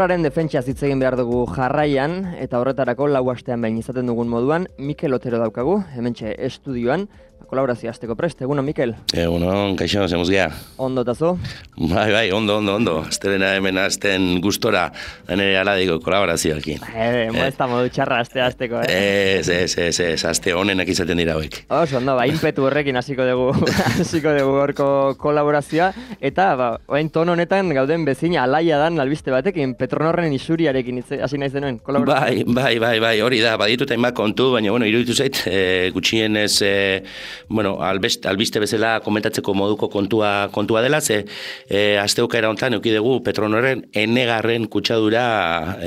Petronorraren defentsa hitz egin behar dugu jarraian, eta horretarako lau astean behin izaten dugun moduan, Mikel Otero daukagu, hementxe estudioan, kolaborazio hasteko prest. Egunon, Mikel? Egunon, kaixo, zemuz gea. Ondo tazo? Bai, ondo. Aztebena hemen azten gustora, nire aladiko kolaborazioakin. Ez da modu txarra hasteko, Ez, azte honenak izaten dira hoik. Ondo, inpetu horrekin hasiko dugu horko kolaborazioa, eta orain ton honetan gauden bezina alaia dan albiste batekin, Petronorren isuriarekin hasi naiz denuen kolaborazioa. Bai, hori da, badituta inbat kontu, baina, iruditu zait, gutxienez, albiste bezala komentatzeko moduko kontua dela, ze asteokaera hontan eukidegu Petronorren enegarren kutsadura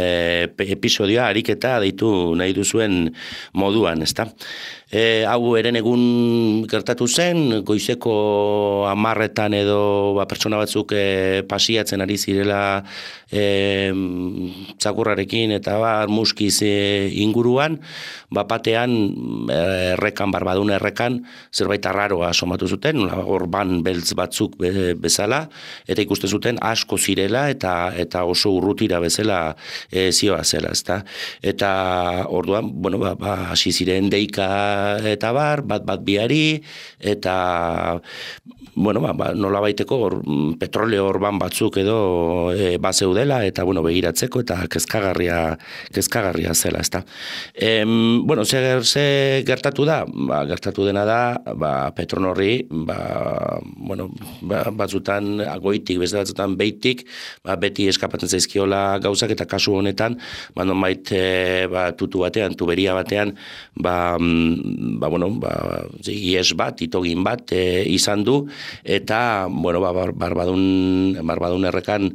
episodioa ariketa deitu nahi duzuen moduan, ezta? Hau eren egun gertatu zen, goizeko 10 edo pertsona batzuk pasiatzen ari zirela txakurrarekin eta muskiz inguruan, batean errekan, barbadun errekan, zerbait arraroa somatu zuten, orban beltz batzuk bezala, eta ikusten zuten asko zirela eta oso urrutira bezala zioa zela, ezta? Eta orduan, hasi ziren deika eta bat biari, eta nola baiteko petroleo orban batzuk edo bazeudela, eta begiratzeko, eta kezkagarria zela, ezta. Ze gertatu da? Gertatu dena da, Petronorri, batzutan goitik, beste batzutan beitik, beti eskapatzen zaizkiola gauzak, eta kasu honetan, tutu batean, tuberia batean, ies bat, itogin bat izan du, eta, barbadun errekan,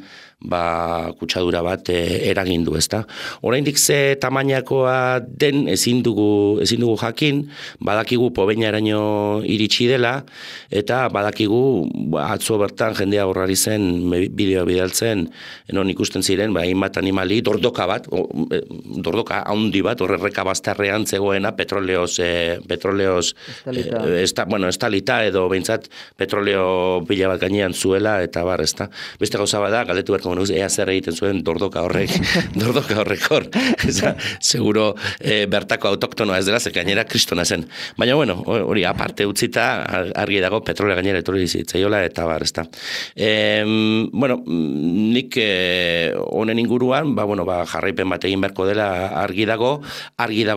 kutsadura bat eragin du, ezta. Oraindik ze tamainakoa den ezin dugu jakin, badakigu Pobeñaraino iritsi dela, eta badakigu atzo bertan jendea horrari zen bideoa bidaltzen, non ikusten ziren, hainbat animali, dordoka handi bat, horrerreka bastarrean zegoena petroleoz estalita, edo behintzat petroleo pila bat gainean zuela, eta ezta. Beste gauza bada, galdetu berko ea zer egiten zuen dordoka horrek hor. Seguro bertako autoktonoa ez dela, ze gainera kristona zen. Baina, hori aparte utzita, argi dago petrolea gainera etorri zitzaiola, eta ezta. Nik honen inguruan, jarraipen bat egin beharko dela argi dago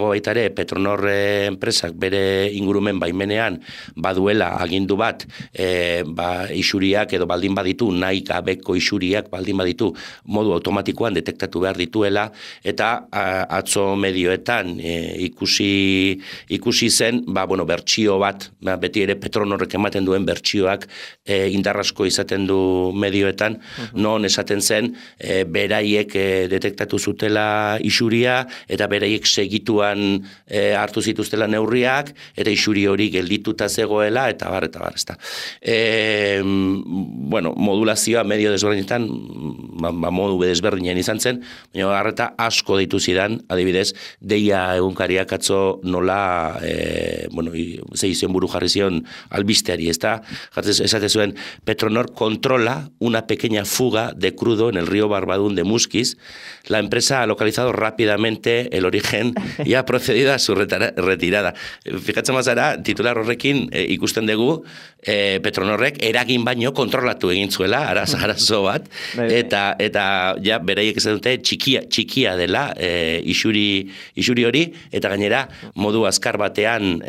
baita ere Petronor enpresak bere ingurumen baimenean baduela agindu bat, isuriak edo baldin baditu, nahi gabeko isuriak baldin baditu modu automatikoan detektatu behar dituela, eta atzo medioetan ikusi zen, bertsio bat, beti ere Petronorrek ematen duen bertsioak indarrasko izaten du medioetan, non esaten zen, beraiek detektatu zutela isuria, eta beraiek segituan hartu zituztela neurriak, eta isuri hori geldituta zegoela, eta ezta. Modulazioa medio desberdinetan, modu desberdinen izan zen, baina harreta asko deitu zidan, adibidez, deia egunkariak atzo nola, ze izen buru jarri zion albisteari, ezta? Esate zuen, Petronor controla una pequeña fuga de crudo en el río Barbadún de Muskiz. La empresa ha localizado rápidamente el origen y ha procedido a su retirada. Fikatzen mazara, titular horrekin ikusten dugu, Petronorrek eragin baino kontrolatu egin zuela, arazo bat, eta beraiek esan dute txikia dela isuri hori, eta gainera modu azkar batean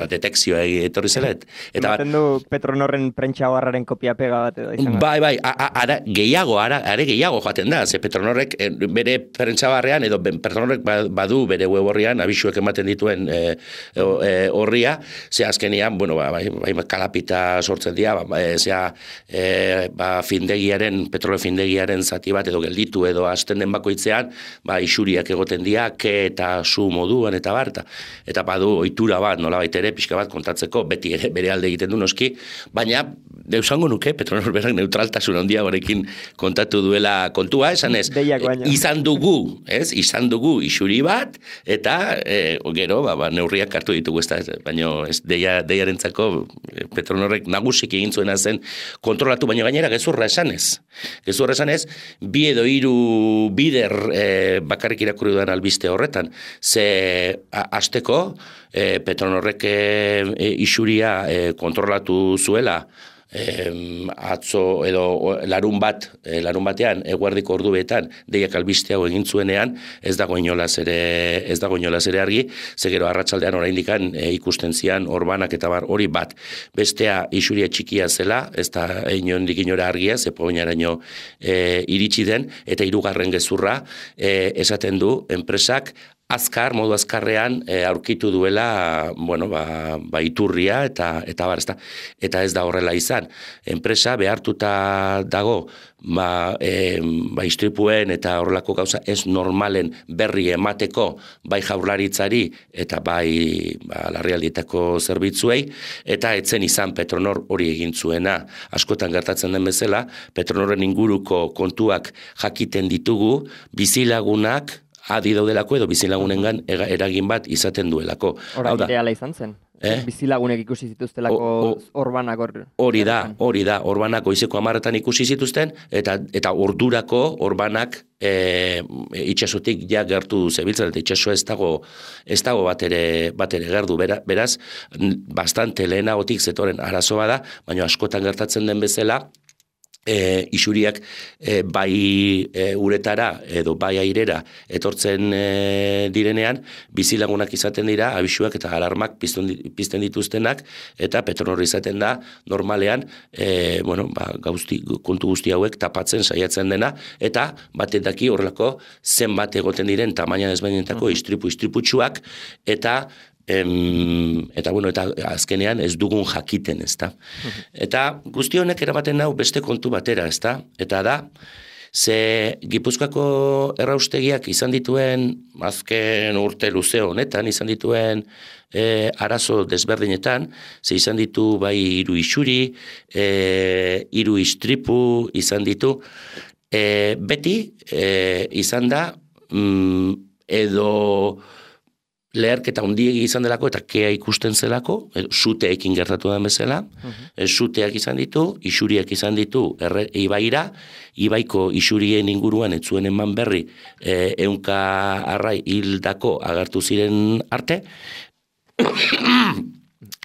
detekzioa etorri zela. Ematen du Petronorren prentsa barraren kopia pega bat edo izan. Bai, are gehiago joaten da, ze Petronorrek bere prentsa barrean, edo Petronorrek badu bere web horrian, abisuek ematen dituen horria, ze azkenian, kalapita sortzen dira, petroleo findegiaren zati bat edo gelditu edo hasten den bakoitzean, isuriak egoten dira, eta su moduan eta eta badu ohitura bat, nola baitere, pixka bat kontatzeko, beti ere bere alde egiten du noski, baina eusango nuke, Petronor berak neutraltasun handia horekin kontatu duela kontua, esan ez, izan dugu isuri bat, eta gero, neurriak hartu ditugu, baina deiarentzako Petronorrek nagusik egin zuena zen kontrolatu, baina gainera gezurra esan, esanez. Bi edo hiru bider bakarrik irakurri dudan albiste horretan. Ze hasteko Petronorrek isuria kontrolatu zuela, atzo edo larun batean eguerdiko orduetan deiak albiste hau egin zuenean ez dago inolaz ere argi, ze gero arratsaldean oraindikan ikusten zian orbanak eta bar hori bat. Bestea isuria txikia zela, ez da inondik inora argia, ze poinaraino iritsi den, eta hirugarren gezurra esaten du enpresak modu azkarrean aurkitu duela, iturria eta bar, eta ez da horrela izan. Enpresa behartuta dago, istripuen eta horrelako gauza ez normalen berri emateko bai jaurlaritzari eta bai larrialdietako zerbitzuei, eta etzen izan Petronor hori egin zuena. Askotan gertatzen den bezala, Petronorren inguruko kontuak jakiten ditugu, bizilagunak adi daudelako edo bizilagunengan eragin bat izaten duelako. Horain ideala izan zen? Bizilagunek ikusi zituztelako orbanak hori da, orbanak goizeko 10 ikusi zituzten, eta ordurako orbanak itxasotik ja gertu zebiltzen, eta itxaso ez dago bat ere gerdu. Beraz, bastante lehenagotik zetoren arazoa da, baina askotan gertatzen den bezala, isuriak bai uretara edo bai airera etortzen direnean, bizilagunak izaten dira, abisuak eta alarmak pizten dituztenak, eta Petronor izaten da normalean kontu guzti hauek tapatzen saiatzen dena, eta batek daki horrelako zenbat egoten diren tamaina desberdinetako istriputsuak, eta azkenean ez dugun jakiten, ezta. Eta guzti honek eramaten nau beste kontu batera, ezta. Eta da, ze Gipuzkoako erraustegiak izan dituen, azken urte luze honetan, izan dituen arazo desberdinetan, ze izan ditu bai 3 isuri, 3 istripu izan ditu, beti izan da, edo leherketa hundiegi izan delako eta kea ikusten zelako, suteekin gertatu den bezala, suteak izan ditu, isuriak izan ditu ibaira, ibaiko isurien inguruan etzuen eman berri 100 arrai hildako agertu ziren arte,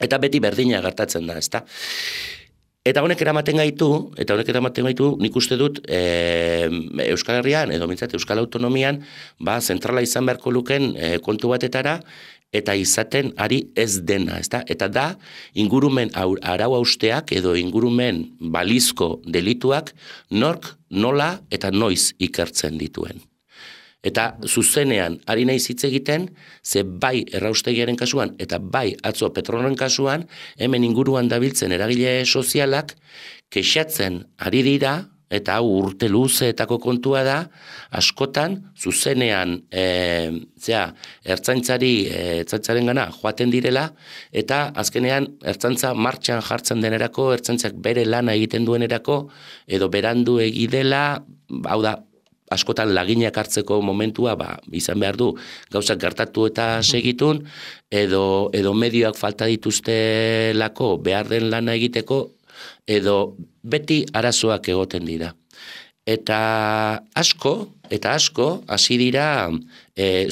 eta beti berdina gertatzen da, ezta. Eta honek eramaten gaitu, nik uste dut Euskal Herrian, edo mintzat Euskal Autonomian, zentrala izan beharko luken kontu batetara, eta izaten ari ez dena, ezta? Eta da, ingurumen arau hausteak edo ingurumen balizko delituak nork, nola eta noiz ikertzen dituen. Eta zuzenean ari naiz hitz egiten, ze bai erraustegiaren kasuan eta bai atzo Petronorren kasuan, hemen inguruan dabiltzen eragile sozialak kexatzen ari dira, eta hau urte luzeetako kontua da, askotan zuzenean ertzaintzaren gana joaten direla, eta azkenean ertzaintza martxan jartzen denerako, ertzaintzak bere lana egiten duenerako, edo berandu egidela, hau da, askotan laginak hartzeko momentua izan behar du gauzak gertatu eta segitun, edo medioak falta dituztelako behar den lana egiteko, edo beti arazoak egoten dira. Eta asko hasi dira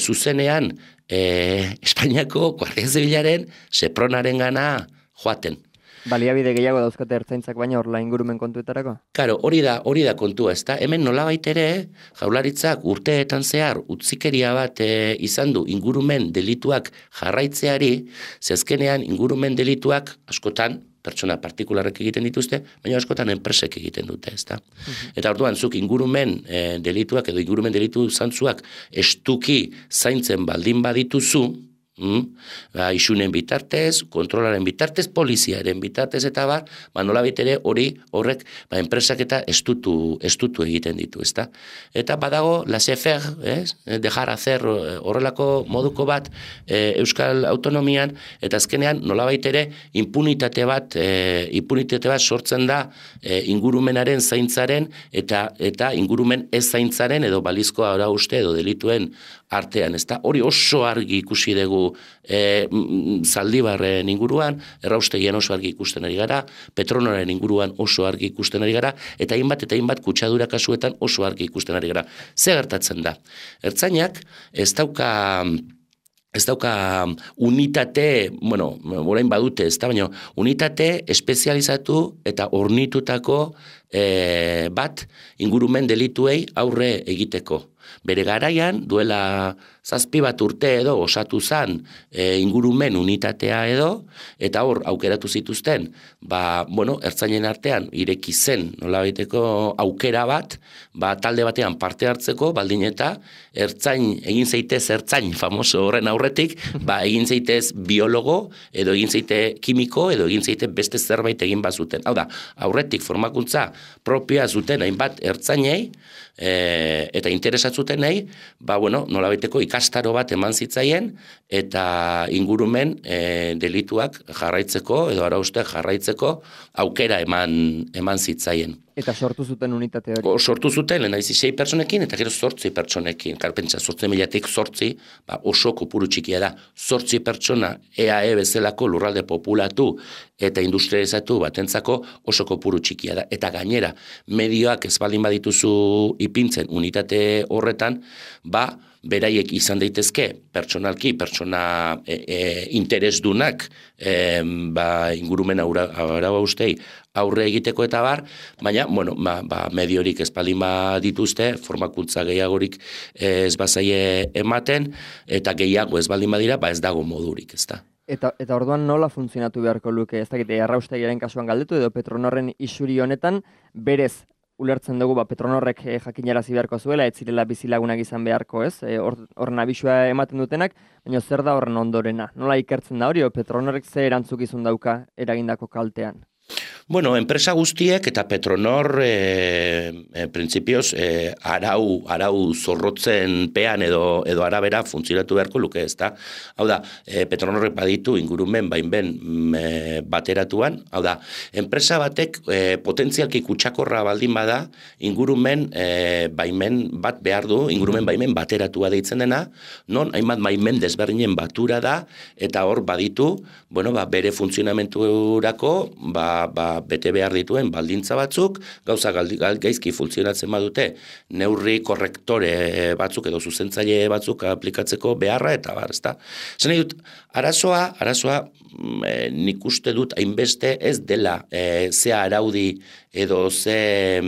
zuzenean Espainiako Guardia Zibilaren Sepronaren gana joaten. Baliabide gehiago dauzkate ertzaintzak baina horla ingurumen kontuetarako? Karo, hori da kontua, ezta? Hemen nolabait ere, jaurlaritzak urteetan zehar utzikeria bat izan du ingurumen delituak jarraitzeari, zezkenean ingurumen delituak askotan pertsona partikularrek egiten dituzte, baina askotan enpresek egiten dute, ezta? Eta orduan, zuk ingurumen delituak edo ingurumen delitu zantzuak estuki zaintzen baldin badituzu, isunen bitartez, kontrolaren bitartez, poliziaren bitartez eta nolabait ere horrek enpresak eta estutu egiten ditu, ezta? Eta badago laissez-faire, dejar hacer horrelako moduko bat Euskal Autonomian, eta azkenean nolabait ere impunitate bat sortzen da ingurumenaren zaintzaren eta ingurumen ez zaintzaren edo balizko arauste edo delituen artean, ezta? Hori oso argi ikusi dugu dituzu Zaldibarren inguruan, erraustegian oso argi ikusten ari gara, Petronorren inguruan oso argi ikusten ari gara, eta hainbat kutsadura kasuetan oso argi ikusten ari gara. Ze gertatzen da? Ertzainak ez dauka unitate, orain badute, ez da, baina unitate espezializatu eta ornitutako bat ingurumen delituei aurre egiteko. Bere garaian, duela 7 urte edo osatu zan ingurumen unitatea edo, eta hor aukeratu zituzten, ertzainen artean ireki zen nolabaiteko aukera bat, talde batean parte hartzeko, baldin eta egin zeitez ertzain famoso horren aurretik, egin zeitez biologo, edo egin zeite kimiko, edo egin zeite beste zerbait egin bazuten. Hau da, aurretik formakuntza propioa zuten hainbat ertzainei, eta interesatzutenei, nolabaiteko ikastaro bat eman zitzaien, eta ingurumen delituak jarraitzeko, edo arauste jarraitzeko aukera eman zitzaien. Eta sortu zuten unitate hori? Sortu zuten, lehenaizi 6 pertsonekin, eta gero 8 pertsonekin. Karpentsa, 8.000-tik 8, oso kopuru txikia da. 8 pertsona EAE bezalako lurralde populatu eta industrializatu batentzako oso kopuru txikia da. Eta gainera, medioak ez baldin badituzu ipintzen unitate horretan, beraiek izan daitezke pertsonalki, pertsona interesdunak ingurumen arau ustei aurre egiteko eta baina, mediorik ez baldin dituzte, formakuntza gehiagorik ez bazaie ematen, eta gehiago ez baldin badira, ez dago modurik, ez da. Eta orduan nola funtzionatu beharko luke, ez dakite, erraustegiaren kasuan galdetu, edo Petronorren isuri honetan, berez, ulertzen dugu, Petronorrek jakinarazi beharko zuela, ez zirela bizilagunak izan beharko, ez? Horren abisua ematen dutenak, baina zer da horren ondorena? Nola ikertzen da hori, Petronorrek ze erantzukizun dauka eragindako kaltean? Enpresa guztiek eta Petronor printzipioz arau zorrotzen pean edo arabera funtzionatu beharko luke, ez da? Hau da, Petronorrek baditu ingurumen baimen bateratuan, hau da, enpresa batek potentzialki kutsakorra baldin bada ingurumen baimen bat behar du, ingurumen baimen bateratua deitzen dena, non hainbat baimen desberdinen batura da, eta hor baditu, bere funtzionamenturako, bete behar dituen baldintza batzuk, gauza gaizki funtzionatzen badute, neurri korrektore batzuk edo zuzentzaile batzuk aplikatzeko beharra, eta ezta. Zene dut, arazoa nik uste dut hainbeste ez dela ze araudi edo ze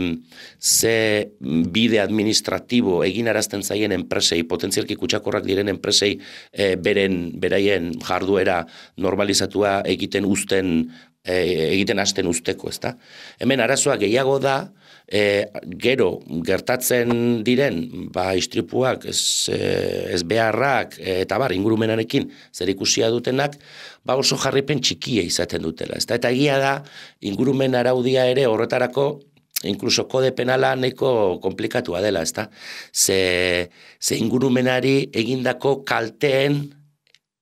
bide administratibo egin arazten zaien enpresei, potentzialki kutsakorrak diren enpresei beraien jarduera normalizatua egiten hasten usteko, ezta? Hemen arazoa gehiago da, gero gertatzen diren istripuak, ez beharrak, eta ingurumenarekin zer ikusia dutenak, oso jarripen txikia izaten dutela, ezta? Eta egia da, ingurumen araudia ere horretarako, inkluso kode penala nahiko komplikatua dela, ezta? Ze ingurumenari egindako kalteen,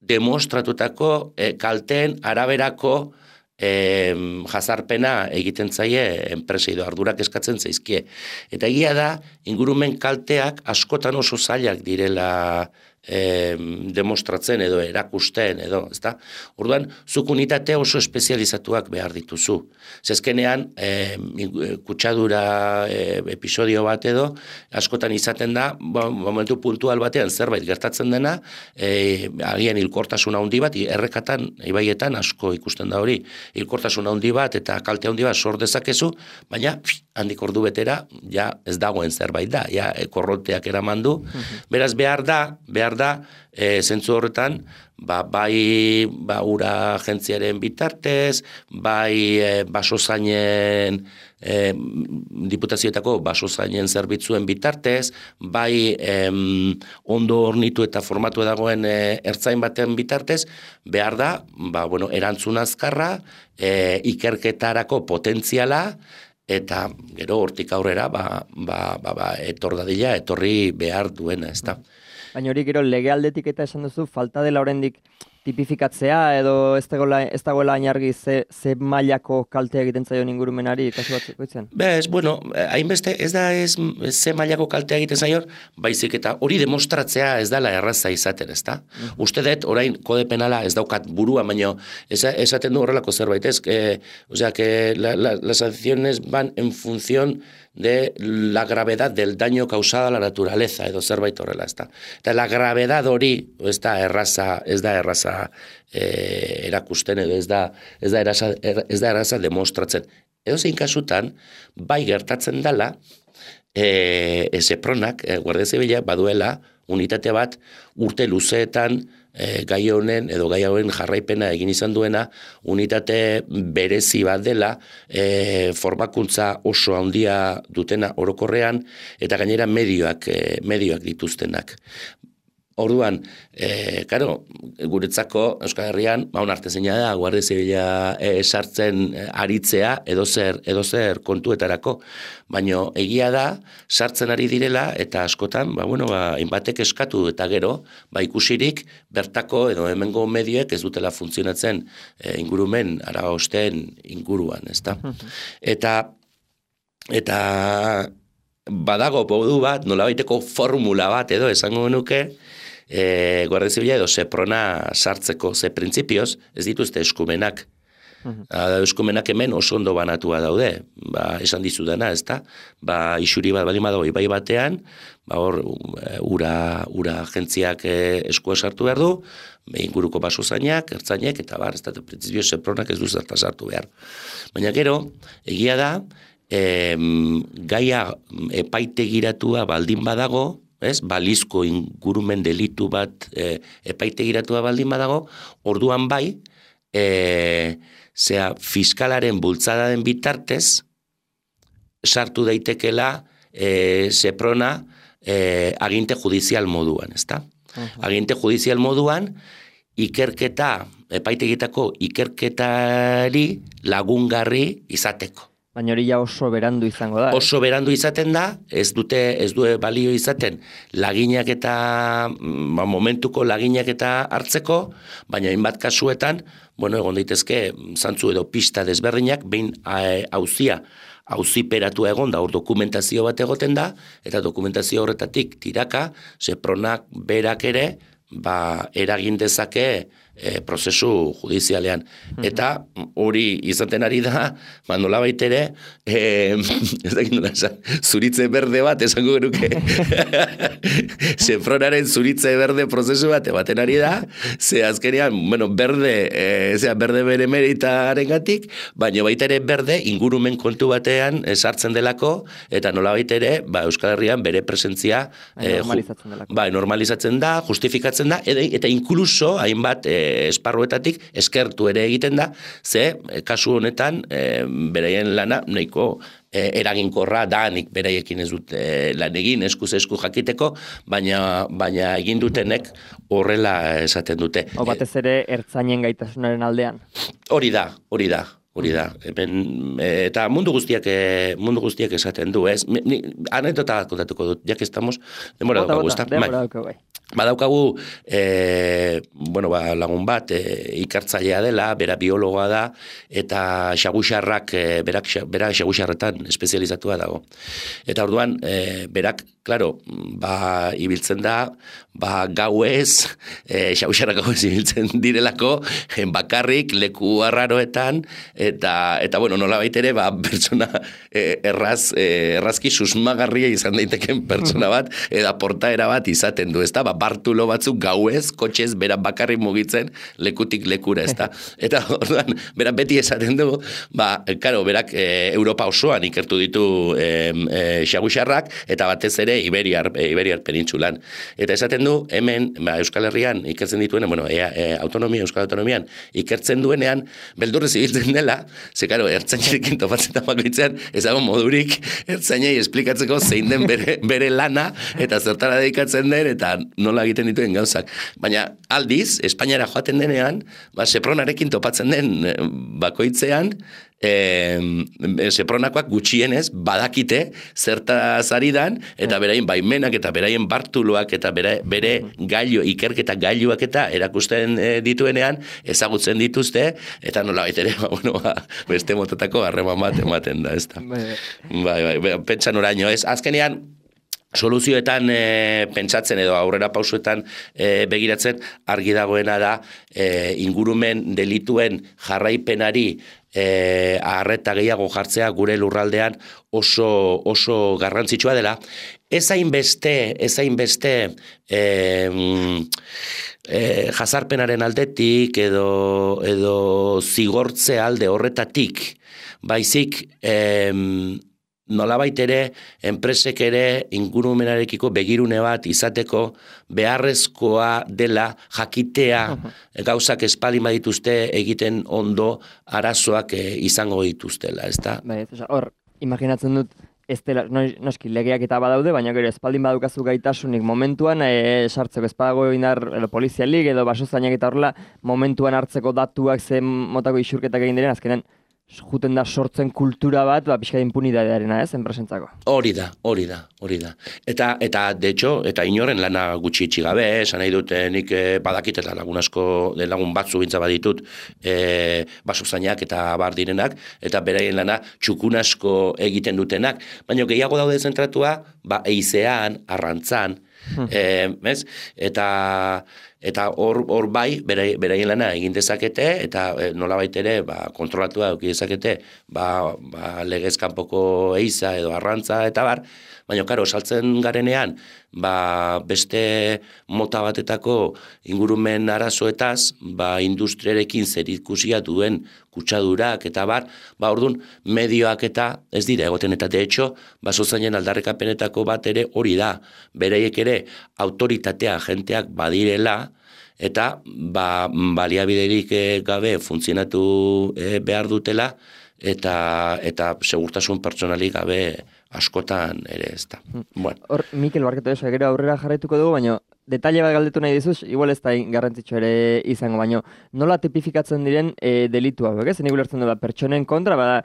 demostratutako kalteen araberako jazarpena egiten zaie enpresei edo ardurak eskatzen zaizkie. Eta egia da, ingurumen kalteak askotan oso zailak direla demostratzen edo erakusten edo, ezta? Orduan, zuk unitate oso espezializatuak behar dituzu. Zezkenean, kutsadura episodio bat edo, askotan izaten da, momentu puntual batean zerbait gertatzen dena, agian hilkortasun handi bat, errekatan, ibaietan asko ikusten da hori, hilkortasun handi bat eta kalte handi bat sor dezakezu, baina handik ordu betera, ja ez dagoen zerbait da, ja korronteak eraman du. Beraz, behar da, zentzu horretan, bai ura agentziaren bitartez, bai basozainen, diputazioetako basozainen zerbitzuen bitartez, bai ondo hornitu eta formatu dagoen ertzain baten bitartez, behar da, erantzun azkarra, ikerketarako potentziala, eta gero hortik aurrera, etorri behar duena, ez da. Baina hori gero legealdetik eta esan duzu, falta dela oraindik tipifikatzea edo ez dagoela ainargi ze mailako kaltea egiten zaion ingurumenari kasu batzuk itzen? Bueno, hainbeste ez da ze mailako kaltea egiten zaion, baizik eta hori demostratzea ez dela erraza izaten, ezta? Uste dut, orain kode penala ez daukat burua, baino esaten du horrelako zerbait, ez? O sea, que las sanciones van en función de la gravedad del daño causado a la naturaleza, edo zerbait horrela, ezta? Eta la gravedad hori ez da erraza erakusten, edo ez da erraza demostratzen. Edo zein kasutan, bai gertatzen dela, Sepronak, Guardia Zibila, baduela unitate bat urte luzeetan gai honen edo gai hauen jarraipena egin izan duena, unitate berezi bat dela, formakuntza oso handia dutena orokorrean, eta gainera medioak dituztenak. Orduan, karo, guretzako Euskal Herrian, onartezina da, Guardia Zibila sartzen aritzea edo zer kontuetarako, baina egia da, sartzen ari direla, eta askotan, hainbatek eskatu eta gero, ikusirik, bertako edo hemengo medioek ez dutela funtzionatzen ingurumen, Aragosteen inguruan, ezta? Eta badago modu bat, nolabaiteko formula bat edo esango nuke, Guardia Zibila edo Seprona sartzeko, ze printzipioz ez dituzte eskumenak. Eskumenak hemen oso ondo banatua daude, esan dizudana, ezta? Isuri bat baldin badago ibai batean, hor ura agentziak eskua sartu behar du, inguruko basozainak, ertzainek, eta ez da, printzipio Sepronak ez du zerta sartu behar. Baina gero, egia da, gaia epaitegiratua baldin badago, balizko ingurumen delitu bat epaitegiratua baldin badago, orduan bai, fiskalaren bultzada den bitartez, sartu daitekela Seprona aginte judizial moduan, ezta? Aginte judizial moduan, epaitegitako ikerketari lagungarri izateko. Baina hori ja oso berandu izango da. Oso berandu izaten da, ez du balio izaten laginak eta, momentuko laginak eta hartzeko, baina hainbat kasuetan, egon daitezke, zantzu edo pista desberdinak, behin auziperatu egon da, hor dokumentazio bat egoten da, eta dokumentazio horretatik tiraka, Sepronak berak ere, eragin dezake prozesu judizialean. Eta hori izaten ari da, nolabait ere, zuritze berde bat, esango genuke. Sepronaren zuritze berde prozesu bat, ematen ari da, ze azkenean, berde bere meritaren gatik, baina baita ere berde ingurumen kontu batean sartzen delako, eta nolabait ere, Euskal Herrian bere presentzia normalizatzen da, justifikatzen da, eta inkluso hainbat esparruetatik eskertu ere egiten da, ze kasu honetan beraien lana nahiko eraginkorra danik beraiekin ez dut lan egin, eskuz esku jakiteko, baina egin dutenek horrela esaten dute. Batez ere ertzainen gaitasunaren aldean. Hori da. Eta mundu guztiak esaten du, ez? Anekdota kontatuko dut, jak estamos, demora daukagu, ez da? Badaukagu, lagun bat, ikertzailea dela, bera biologoa da, eta xaguxarrak, berak xaguxarretan espezializatua dago. Eta orduan, berak, klaro, ibiltzen da, gauez, xaguxarrak gauez ibiltzen direlako, bakarrik, leku arraroetan, eta nola baitere, pertsona errazki susmagarria izan daiteken pertsona bat, eta portaera bat izaten du, ez da? Bartulo batzuk gauez, kotxez, bera bakarrik mugitzen, lekutik lekura, ez da? Eta orduan, berak beti esaten du, berak Europa osoan ikertu ditu xaguxarrak, eta batez ere Iberiar penintsulan. Eta esaten du, hemen, Euskal Herrian ikertzen dituen, Euskal Autonomian ikertzen duenean, beldurrez ibiltzen dela, ze, ertzainerekin topatzen bakoitzean, ez dago modurik, ertzainei esplikatzeko zein den bere lana, eta zertara dedikatzen den, eta nola egiten dituen gauzak. Baina aldiz, Espainiara joaten denean, Sepronarekin topatzen den bakoitzean, Sepronakoak gutxienez badakite zertaz ari dan, eta beraien baimenak eta beraien bartuluak eta bere gailu, ikerketa gailuak eta erakusten dituenean ezagutzen dituzte, eta nola baitere beste motatako harreman bat ematen da, ez da. Bai, pentsan oraino, ez? Azkenean, soluzioetan pentsatzen edo aurrera pausuetan begiratzen argi dagoena da ingurumen delituen jarraipenari arreta gehiago jartzea gure lurraldean oso garrantzitsua dela. Ez hainbeste jazarpenaren aldetik edo zigortze alde horretatik, baizik nolabait ere, enpresek ere ingurumenarekiko begirune bat izateko beharrezkoa dela jakitea gauzak espalin badituzte egiten ondo arazoak izango dituztela, ez da? Bai, hor, imaginatzen dut, ez dela, noski legeak eta badaude, baina gero espaldin badukazu gaitasunik momentuan sartzeko espadago indar polizialik edo basozainak eta horrela momentuan hartzeko datuak zen motako isurketak egin diren, azkenean juten da sortzen kultura bat, pixka impunitatearena, ez, enpresentzako. Hori da. Eta de hecho, eta inoren lana gutxi itxi gabe, esan nahi dut, nik badakit eta lagun asko, lagun batzu bintza baditut, basozainak eta bar direnak, eta beraien lana txukun asko egiten dutenak, baina gehiago daude zentratua, eizean, arrantzan, eta hor bai beraien lana egin dezakete eta nolabait ere kontrolatua eduki dezakete legez kanpoko eiza edo arrantza eta bar, baina karo saltzen garenean beste mota batetako ingurumen arazoetaz industriarekin zerikusia duen kutsadurak eta bar, orduan medioak eta ez dira egoten eta de hecho basozainen aldarrekapenetako bat ere hori da, bereiek ere autoritatea jenteak badirela eta baliabiderik gabe funtzionatu behar dutela eta segurtasun pertsonalik gabe askotan ere ez da. Hor, Mikel, barketu eso, gero aurrera jarraituko dugu, baina detaile bat galdetu nahi dizuz, igual ez da garrantzitsu ere izango, baina nola tipifikatzen diren delituak, ez? Nik ulertzen du pertsonen kontra,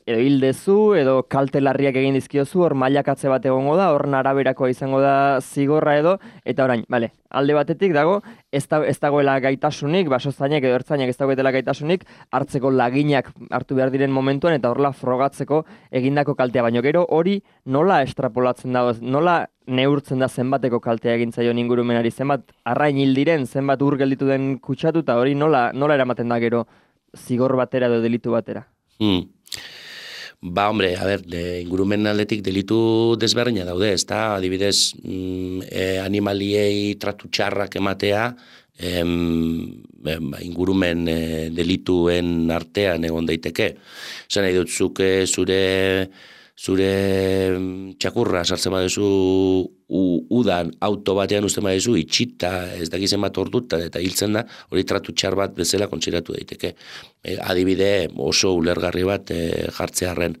edo hildezu, edo kalte larriak egin dizkiozu, hor mailakatze bat egongo da, hor araberakoa izango da zigorra edo, eta orain, alde batetik dago, ez dagoela gaitasunik, basozainek edo ertzainek ez dagoetela gaitasunik, hartzeko laginak hartu behar diren momentuan, eta horrela frogatzeko egindako kaltea, baino gero hori nola estrapolatzen dago, nola neurtzen da zenbateko kaltea egin zaion ingurumenari, zenbat arrain hil diren, zenbat ur gelditu den kutsatu, eta hori nola eramaten da gero zigor batera edo delitu batera. Hombre, ingurumen aldetik delitu desberdina daude, ez da, adibidez, animaliei tratu txarrak ematea, ingurumen delituen artean egon daiteke. Zan nahi dut, zure txakurra sartzen badezu udan auto batean usten badezu itxita ez dakizen bat ordutan eta hiltzen da, hori tratu txar bat bezala kontsiratu daiteke. Adibide oso ulergarri bat jartzearren.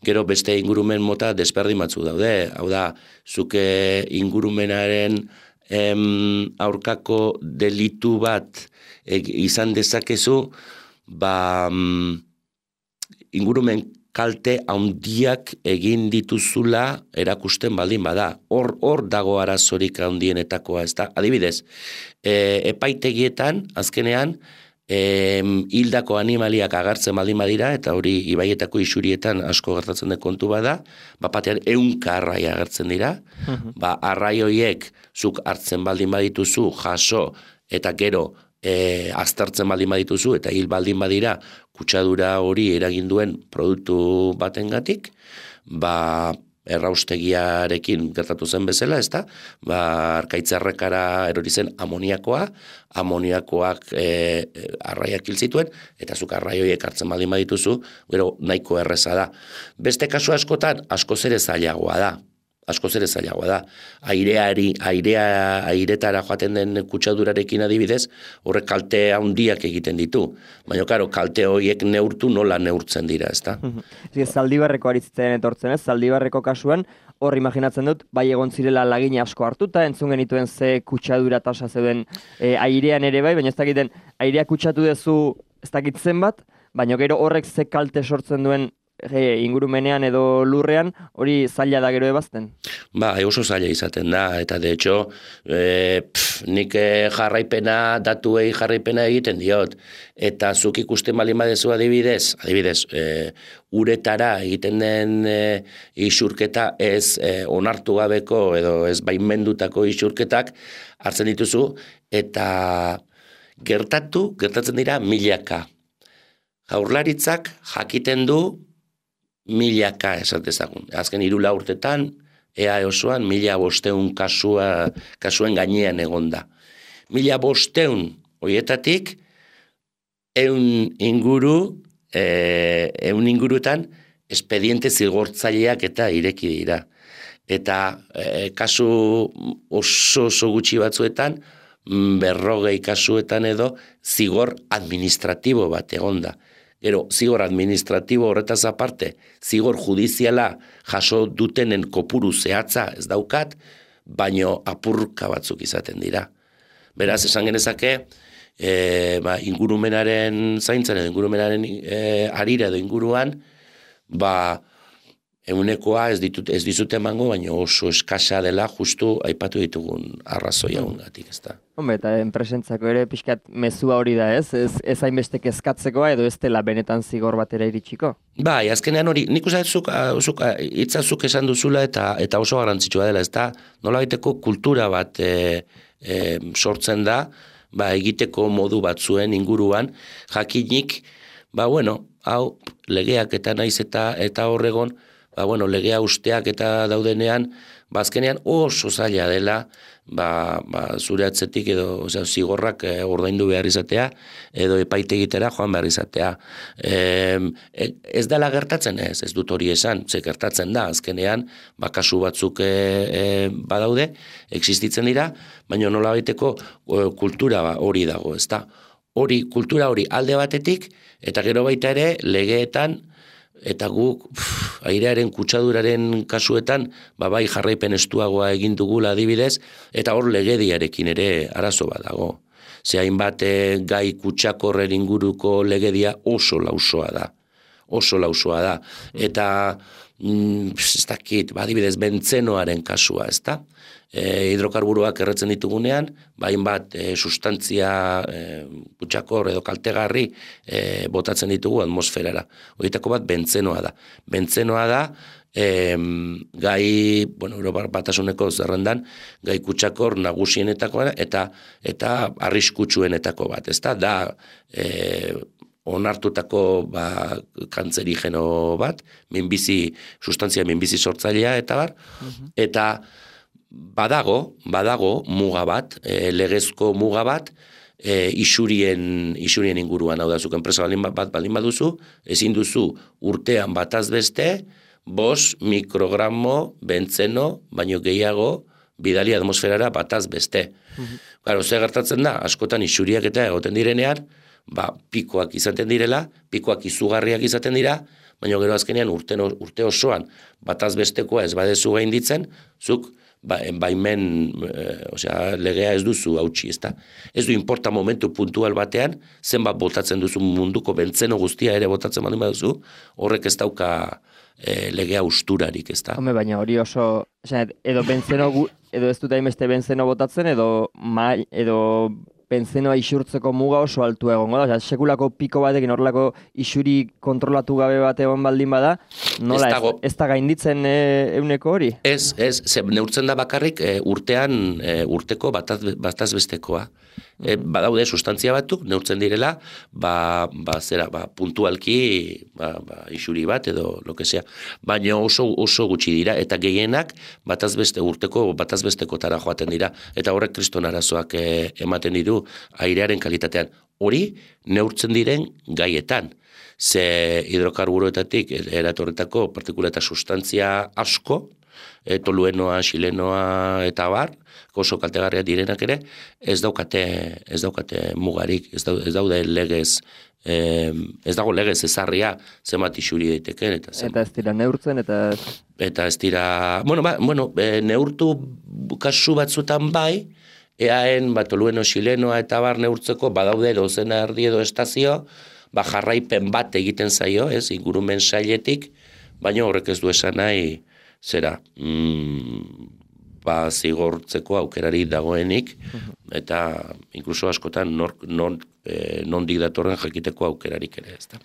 Gero beste ingurumen mota desberdin batzu daude, hau da, zuke ingurumenaren aurkako delitu bat izan dezakezu, ingurumen kalte handiak egin dituzula erakusten baldin bada. Hor dago arazorik handienetakoa, ez da? Adibidez, epaitegietan, azkenean, hildako animaliak agertzen baldin badira, eta hori ibaietako isurietan asko gertatzen den kontu bada, batean 100 arrai agertzen dira, arrai horiek zuk hartzen baldin badituzu, jaso, eta gero aztertzen baldin badituzu, eta hil baldin badira, kutsadura hori eragin duen produktu batengatik, erraustegiarekin gertatu zen bezala, ez da? Arkaitzarrekara erori zen amoniakoak arraiak hil zituen, eta zuk arrai horiek hartzen baldin badituzu, gero nahiko erreza da. Beste kasu askotan, askoz ere zailagoa da. askoz ere zailagoa da. Airetara joaten den kutsadurarekin adibidez, horrek kalte handiak egiten ditu. Baina, karo, kalte horiek neurtu nola neurtzen dira, ezta? Zaldibarreko aritzitzen etortzen ez, Zaldibarreko kasuan, hor imaginatzen dut, bai egon zirela lagina asko hartuta, entzun genituen ze kutsadura tasa zeuden airean ere bai, baina ez dakiten airea kutsatu dezu ez dakitzen bat, baina gero horrek ze kalte sortzen duen ingurumenean edo lurrean, hori zaila da gero ebazten? Ba, oso zaila izaten da, eta de hecho, nik datuei jarraipena egiten diot, eta zuk ikusten bali badezu adibidez, uretara egiten den isurketa ez onartu gabeko edo ez baimendutako isurketak hartzen dituzu, eta gertatzen dira milaka. Jaurlaritzak jakiten du milaka esatezagun. Azken 3 urtetan, EA osoan 1500 kasuen gainean egonda. 1500 horietatik 100 ingurutan expediente zigortzaileak eta ireki dira. Eta kasu oso gutxi batzuetan, 40 kasuetan edo zigor administratibo bat egonda. Gero, zigor administratibo horretaz aparte, zigor judiziala jaso dutenen kopuru zehatza ez daukat, baino apurka batzuk izaten dira. Beraz, esan genezake, ingurumenaren zaintzen edo ingurumenaren harira edo inguruan, eunekoa ez dizute emango, baina oso eskasa dela justu aipatu ditugun arrazoi hauengatik, ez da. Hombre, eta enpresentzako ere pixkat mezua hori da, ez? Ez hainbeste kezkatzekoa edo ez dela benetan zigor batera iritsiko? Bai, azkenean hori, nik uste hitzazuk esan duzula eta oso garrantzitsua dela, ez da, nola baiteko kultura bat sortzen da, egiteko modu batzuen inguruan, jakinik, hau, legeak eta naiz eta horregon, legea usteak eta daudenean, azkenean oso zaila dela, zure atzetik edo zigorrak ordaindu behar izatea, edo epaitegitera joan behar izatea. Ez dela gertatzen ez dut hori esan, ze gertatzen da, azkenean, kasu batzuk badaude, existitzen dira, baina nola baiteko kultura hori dago, ez da. Kultura hori alde batetik, eta gero baita ere, legeetan, eta guk airearen kutsaduraren kasuetan bai jarraipen estuagoa egin dugula adibidez, eta hor legediarekin ere arazo bat dago. Ze hainbat gai kutsakorren inguruko legedia oso lausoa da. Eta ez dakit, adibidez bentzenoaren kasua, ez da? Hidrokarburoak erretzen ditugunean, hainbat sustantzia kutsakor edo kaltegarri botatzen ditugu atmosferara. Horietako bat bentzenoa da. Bentzenoa da gai, Europar Batasuneko zerrendan, gai kutsakor nagusienetakoa eta arriskutsuenetako bat, ez da onartutako kantzerigeno bat, sustantzia minbizi sortzailea eta bar, eta badago muga bat, legezko muga bat, isurien inguruan, hau da, zuk enpresa baldin baduzu, ezin duzu urtean bataz beste, 5 mikrogramo bentzeno, baino gehiago, bidali atmosferara bataz beste. Claro, ze gertatzen da, askotan isuriak eta egoten direnean, pikoak izaten direla, pikoak izugarriak izaten dira, baina gero azkenean urte osoan bataz bestekoa ez badezu gainditzen, zuk baimen, legea ez duzu hautsi, ez da. Ez du importa momentu puntual batean, zenbat botatzen duzu munduko bentzeno guztia ere botatzen baldin baduzu, horrek ez dauka legea usturarik, ez da. Home, baina hori oso, edo bentzeno, edo ez dut hainbeste bentzeno botatzen, edo bentzenoa isurtzeko muga oso altu egongo da. Sekulako piko batekin horrelako isuri kontrolatu gabe bat egon baldin bada, nola ez da gainditzen euneko hori? Ez, neurtzen da bakarrik urtean urteko bataz bestekoa. Badaude sustantzia batzuk, neurtzen direla, puntualki isuri bat edo lo que sea. Baina oso gutxi dira, eta gehienak urteko bataz bestekotara joaten dira, eta horrek kriston arazoak ematen ditu airearen kalitatean. Hori neurtzen diren gaietan. Ze hidrokarburoetatik eratorretako partikula eta sustantzia asko, toluenoa, xilenoa eta bar, oso kaltegarriak direnak ere, ez daukate mugarik, ez daude legez, ez dago legez ezarria zenbat isuri daiteken. Eta ez dira neurtzen, eta ez dira, neurtu kasu batzutan bai, eaen tolueno, xilenoa eta bar neurtzeko badaude dozena erdi edo estazio, jarraipen bat egiten zaio, ez, ingurumen sailetik, baina horrek ez du esan nahi, zera, zigortzeko aukerari dagoenik, eta inkluso askotan nondik datorren jakiteko aukerarik ere, ez da.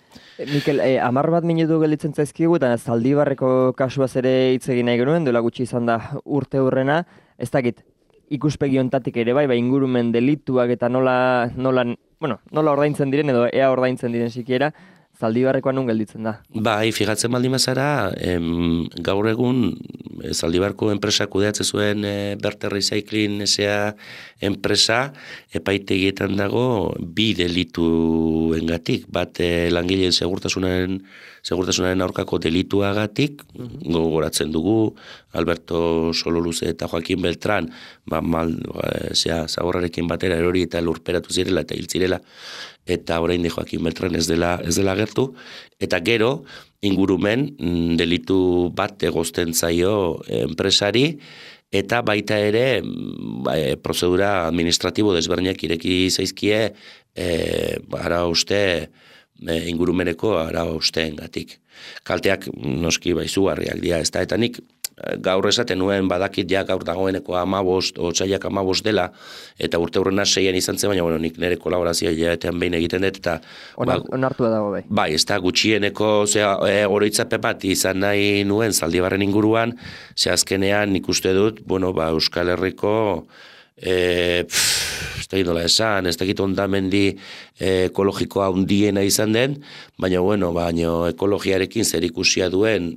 Mikel, 10 bat minutu gelditzen zaizkigu, eta Zaldibarreko kasuaz ere hitz egin nahi genuen, duela gutxi izan da urte hurrena, ez dakit, ikuspegi hontatik ere bai, ingurumen delituak eta nola ordaintzen diren, edo ea ordaintzen diren sikiera, Zaldibarrekoa nun gelditzen da. Bai, fijatzen baldin bazara, gaur egun Zaldibarko enpresa kudeatzen zuen Berter Recycling S.A. enpresa epaitegietan dago 2 delituengatik, bat langileen segurtasunaren aurkako delituagatik, gogoratzen dugu Alberto Sololuze eta Joaquin Beltran, zaborrarekin batera erori eta lurperatu zirela eta hil zirela, eta oraindik Joaquin Beltran ez dela gertu, eta gero ingurumen delitu bat egozten zaio enpresari, eta baita ere prozedura administratibo desberdinak ireki zaizkie ingurumeneko araustengatik. Kalteak noski izugarriak dira, ez da, eta nik gaur esaten nuen badakit gaur dagoeneko 15, otsailak 15 dela, eta urte hurrena 6 izan zen, baina nik nire kolaborazioa hilabetean behin egiten dut, eta onartua dago bai. Bai, ez da gutxieneko oroitzapen bat izan nahi nuen Zaldibarren inguruan, azkenean nik uste dut, Euskal Herriko ez da gidola esan, ez da gito ondamendi ekologikoa handiena izan den, baina ekologiarekin zer ikusia duen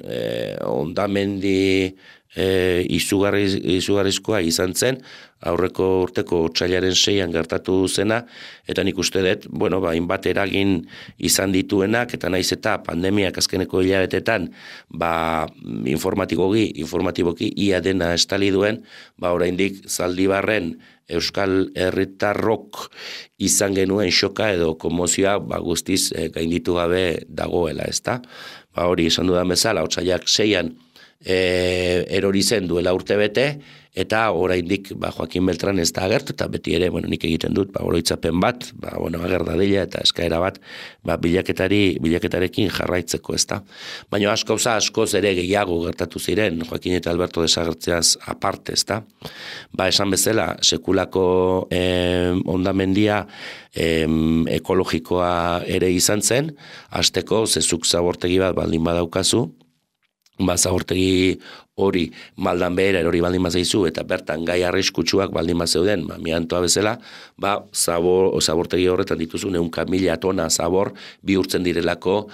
ondamendi izugarrizkoa izan zen, aurreko urteko otsailaren 6an gertatu zena, eta nik uste dut, hainbat eragin izan dituenak, eta naiz eta pandemiak azkeneko hilabetetan, informatiboki ia dena estali duen, oraindik Zaldibarren Euskal Herritarrok izan genuen xoka edo komozioa guztiz gainditu gabe dagoela, ezta? Hori esan dudan bezala, otsailak 6an erori zen duela urte bete, eta oraindik Joaquin Beltran ez da agertu, eta beti ere, nik egiten dut, oroitzapen bat, ager dadila eta eskaera bat, bilaketarekin jarraitzeko, ez da. Baina askoz ere gehiago gertatu ziren, Joaquin eta Alberto desagertzeaz aparte, ez da. Esan bezala, sekulako ondamendia ekologikoa ere izan zen, hasteko zezuk zabortegi bat baldin badaukazu, zabortegi hori maldan behera erori baldin bazaizu eta bertan gai arriskutsuak baldin bazeuden, amiantoa bezala, zabortegi horretan dituzu 100.000 tona zabor bihurtzen direlako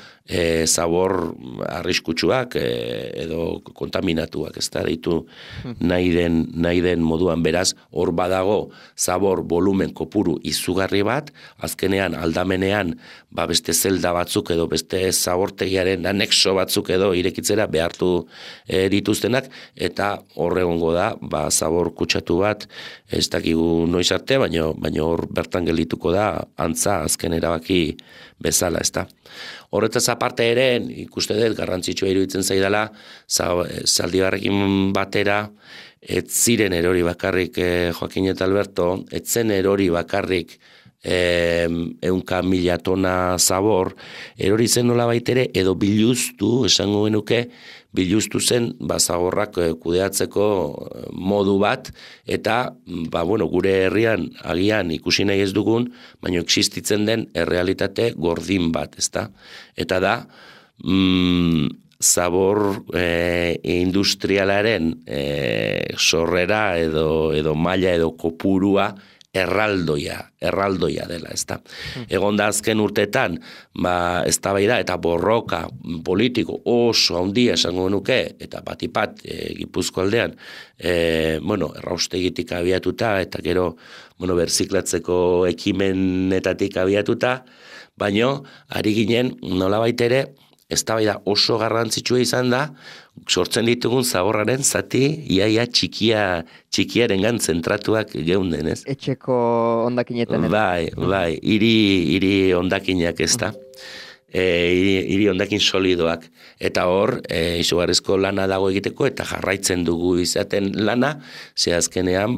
zabor arriskutsuak edo kontaminatuak, ez da, ditu nahi den moduan, beraz, hor badago zabor volumen kopuru izugarri bat, azkenean aldamenean beste zelda batzuk edo beste zabortegiaren anexo batzuk edo irekitzera behartu dituztenak, eta horregongo da, zabor kutsatu bat, ez dakigu noiz arte, baina hor bertan geldituko da, antza azken erabaki bezala, ez da. Horretaz aparte ere, ikuste dut, garrantzitsua iruditzen zaidala, Zaldibarrekin batera, ez ziren erori bakarrik Joaquin eta Alberto, ez zen erori bakarrik 100.000 tona zabor, erori zen nola baitere, edo biluztu, esango genuke, biluztu zen zaborrak kudeatzeko modu bat, eta gure herrian agian ikusi nahi ez dugun, baina existitzen den errealitate gordin bat, ezta? Eta da, zabor industrialaren sorrera edo maila edo kopurua erraldoia dela, ezta. Egon da azken urteetan, eztabaida eta borroka politiko oso handia esango nuke, eta batipat Gipuzko aldean, erraustegitik abiatuta, eta gero, berziklatzeko ekimenetatik abiatuta, baino, ari ginen nolabait ere, eztabaida oso garrantzitsua izan da, sortzen ditugun zaborraren zati iaia txikiarengan zentratuak geunden, ez? Etxeko hondakinetan. Bai, hiri hondakinak ez da. Hiri hondakin solidoak. Eta hor, izugarrizko lana dago egiteko, eta jarraitzen dugu izaten lana, ze azkenean,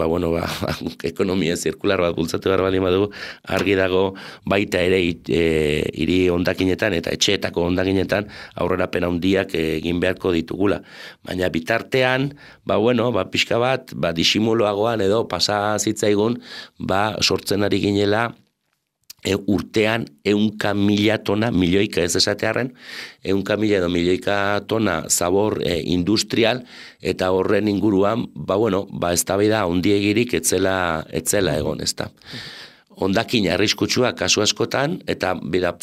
ekonomia zirkular bat bultzatu behar bali badugu, argi dago baita ere hiri hondakinetan eta etxeetako hondakinetan aurrerapen handiak egin beharko ditugula. Baina bitartean, pixka bat, disimuloagoan edo pasa zitzaigun, sortzen ari ginela, urtean 100.000 tona, milioika ez esatearen, 100.000 edo milioika tona zabor industrial, eta horren inguruan, eztabaida handiegirik etzela egon, ez da. Hondakin arriskutsuak kasu askotan, eta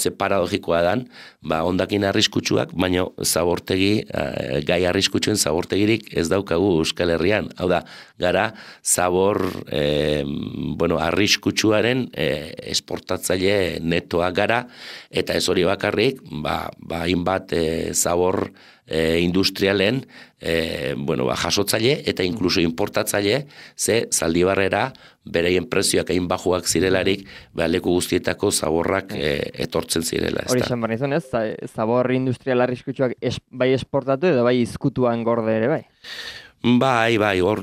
ze paradogikoa dan, hondakin arriskutsuak, baina zabortegi, gai arriskutsuen zabortegirik ez daukagu Euskal Herrian. Hau da, gara zabor arriskutsuaren esportatzaile netoa gara, eta ez hori bakarrik, hainbat zabor industrialen jasotzaile eta inkluso importatzaile, ze Zaldibarrera bereien prezioak hain bajuak zirelarik, leku guztietako zaborrak etortzen zirela. Hori esan barri zuen ez, zabor industrial arriskutsuak bai esportatu edo bai izkutuan gorde ere bai? Bai, hor,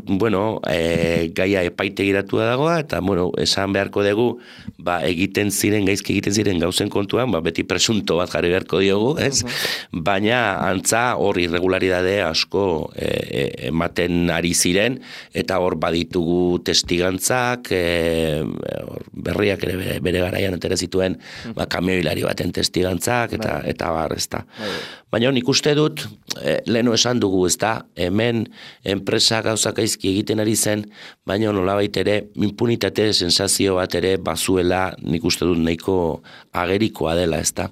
gaia epaitegiratua dagoa, eta, esan beharko dugu, gaizki egiten ziren gauzen kontuan, beti presunto bat jarri beharko diogu, ez? Baina, antza, hor irregularidade asko ematen ari ziren, eta hor baditugu testigantzak, berriak ere bere garaian atera zituen, kamioilari baten testigantzak, eta bar, ez da. Baina, nik uste dut, leheno esan dugu, ez da, hemen enpresa gauzak gaizki egiten ari zen, baina nolabait ere impunitate sensazio bat ere bazuela nik uste dut nahiko agerikoa dela, ezta.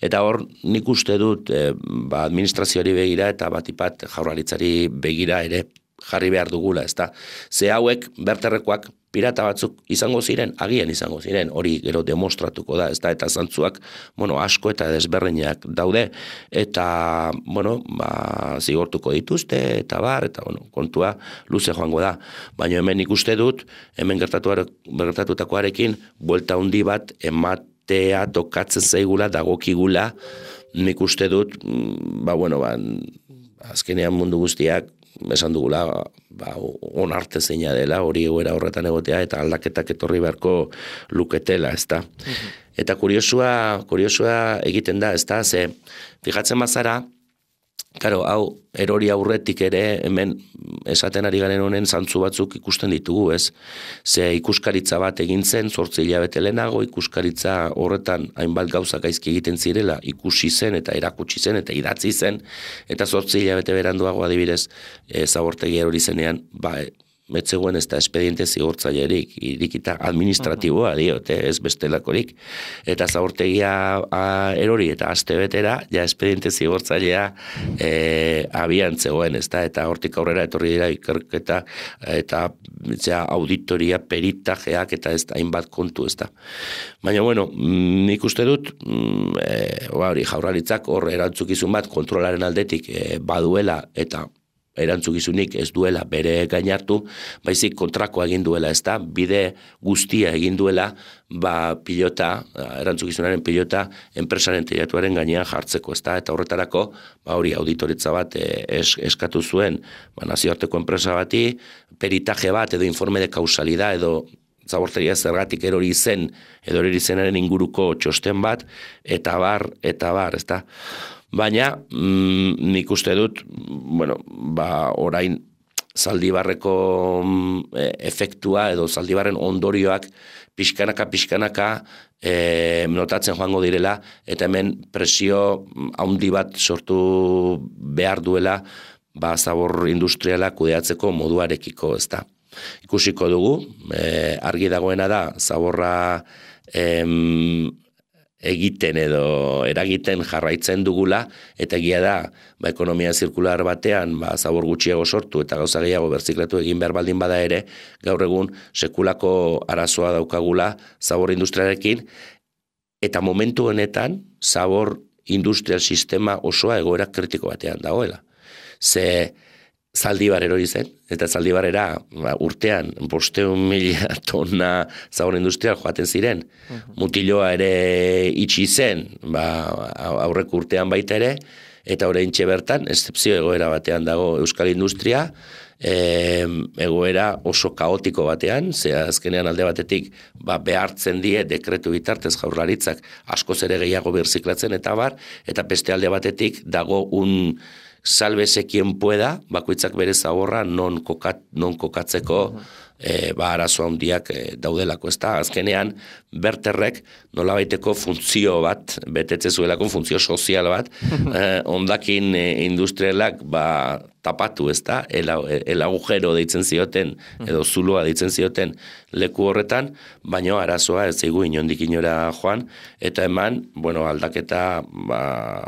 Eta hor nik uste dut administrazioari begira eta batipat jaurlaritzari begira ere jarri behar dugula, ezta. Ze hauek berterrekoak pirata batzuk izango ziren, agian izango ziren, hori gero demostratuko da, ezta, eta zantzuak, asko eta desberdinak daude, eta, zigortuko dituzte, eta kontua luze joango da. Baina hemen ikuste dut, hemen gertatutakoarekin, buelta handi bat ematea tokatzen zaigula, dagokigula, nik uste dut, azkenean mundu guztiak, esan dugula, onarte zeina dela, hori egoera horretan egotea, eta aldaketak etorri beharko luketela, ez da. Eta kuriosua egiten da, ez da, ze, fijatzen bazara, hau, erori aurretik ere, hemen esaten ari garen honen zantzu batzuk ikusten ditugu, ez? Ze ikuskaritza bat egin zen, 8 hilabete lehenago, ikuskaritza horretan hainbat gauza gaizki egiten zirela, ikusi zen eta erakutsi zen eta idatzi zen, eta 8 hilabete beranduago adibidez, zabortegi erori zenean, metzegoen ez da espediente zigortzailerik, irikita administratiboa diote, ez bestelakorik, eta zabortegia erori eta aste betera, espediente zigortzailea abian zegoen, ez da, eta hortik aurrera etorri dira ikerketa eta auditoria, peritajeak eta ez da, hainbat kontu, ez da. Baina, nik uste dut, jaurlaritzak hor erantzukizun bat kontrolaren aldetik baduela eta erantzukizunik ez duela bere gainartu, baizik kontrakoa egin duela, ez da, bide guztia egin duela, erantzukizunaren pilota enpresaren teilatuaren gainean jartzeko, ez da, eta horretarako, hori auditoritza bat eskatu zuen, nazioarteko enpresa bati, peritaje bat edo informe de kausalidad edo zabortegia zergatik erori zen, edo erori zenaren inguruko txosten bat, eta bar, ez da. Baina, nik uste dut, orain Zaldibarreko efektua edo Zaldibarren ondorioak pixkanaka notatzen joango direla, eta hemen presio handi bat sortu behar duela zabor industriala kudeatzeko moduarekiko, ez da. Ikusiko dugu, argi dagoena da, zaborra egiten edo eragiten jarraitzen dugula, eta egia da, ekonomia zirkular batean, zabor gutxiago sortu eta gauza gehiago berziklatu egin behar baldin bada ere, gaur egun sekulako arazoa daukagula zabor industriarekin, eta momentu honetan zabor industrial sistema osoa egoera kritiko batean dagoela. Ze Zaldibar erori zen, eta Zaldibarrera urtean 500.000 tona zabor industrial joaten ziren. Mutiloa ere itxi zen, aurreko urtean baita ere, eta oraintxe bertan, eszepzio egoera batean dago euskal industria, egoera oso kaotiko batean, ze azkenean alde batetik behartzen die dekretu bitartez Jaurlaritzak askoz ere gehiago birziklatzen eta eta beste alde batetik dago sálvese quien pueda, bakoitzak bere zaborra non kokatzeko arazo handiak daudelako, ez da? Azkenean, berterrek nolabaiteko funtzio bat, betetze zuelako funtzio sozial bat, ondakin industrialak tapatu, ez da? El agujero deitzen zioten, edo zuloa deitzen zioten leku horretan, baino arazoa ez zaigu inondik inora joan, eta eman, aldaketa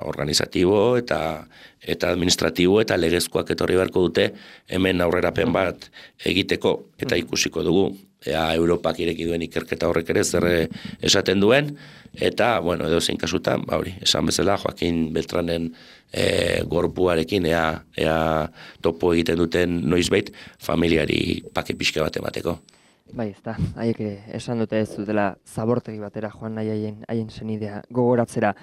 organizatibo eta administratibo eta legezkoak etorri beharko dute hemen aurrerapen bat egiteko eta ikusiko dugu. Europak ireki duen ikerketa horrek ere zer esaten duen, eta, edo zein kasutan, esan bezala, Joaquin Beltranen gorpuarekin ea topo egiten duten noizbait familiari pake pixka bat emateko. Bai, ez da, haiek esan dute ez dutela zabortegi batera joan nahi haien senidea gogoratzera.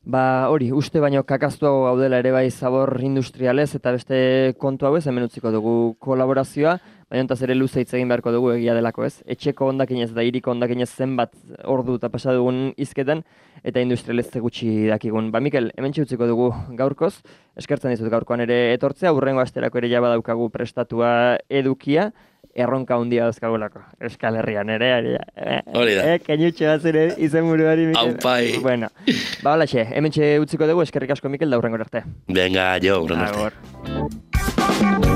Hori, uste baino kakaztuago gaudela ere bai zabor industrialez eta beste kontu hau ez, hemen utziko dugu kolaborazioa, baina ontaz ere luze hitz egin beharko dugu egia delako ez. Etxeko hondakinez eta hiriko hondakinez zenbat ordu eta pasa dugun hizketan eta industrialez gutxi dakigun. Mikel, hemen utziko dugu gaurkoz, eskertzen dizut gaurkoan ere etortzea, hurrengo asterako ere jaba daukagu prestatua edukia, erronka handia dauzkagulako. Euskal Herrian ere, hori da. Kenutxe bat zure izen buruari, Mikel. Aupai. Bueno, holaxe, hemen utziko dugu, eskerrik asko, Mikel, da hurrengo arte. Venga, jo, hurrengo arte.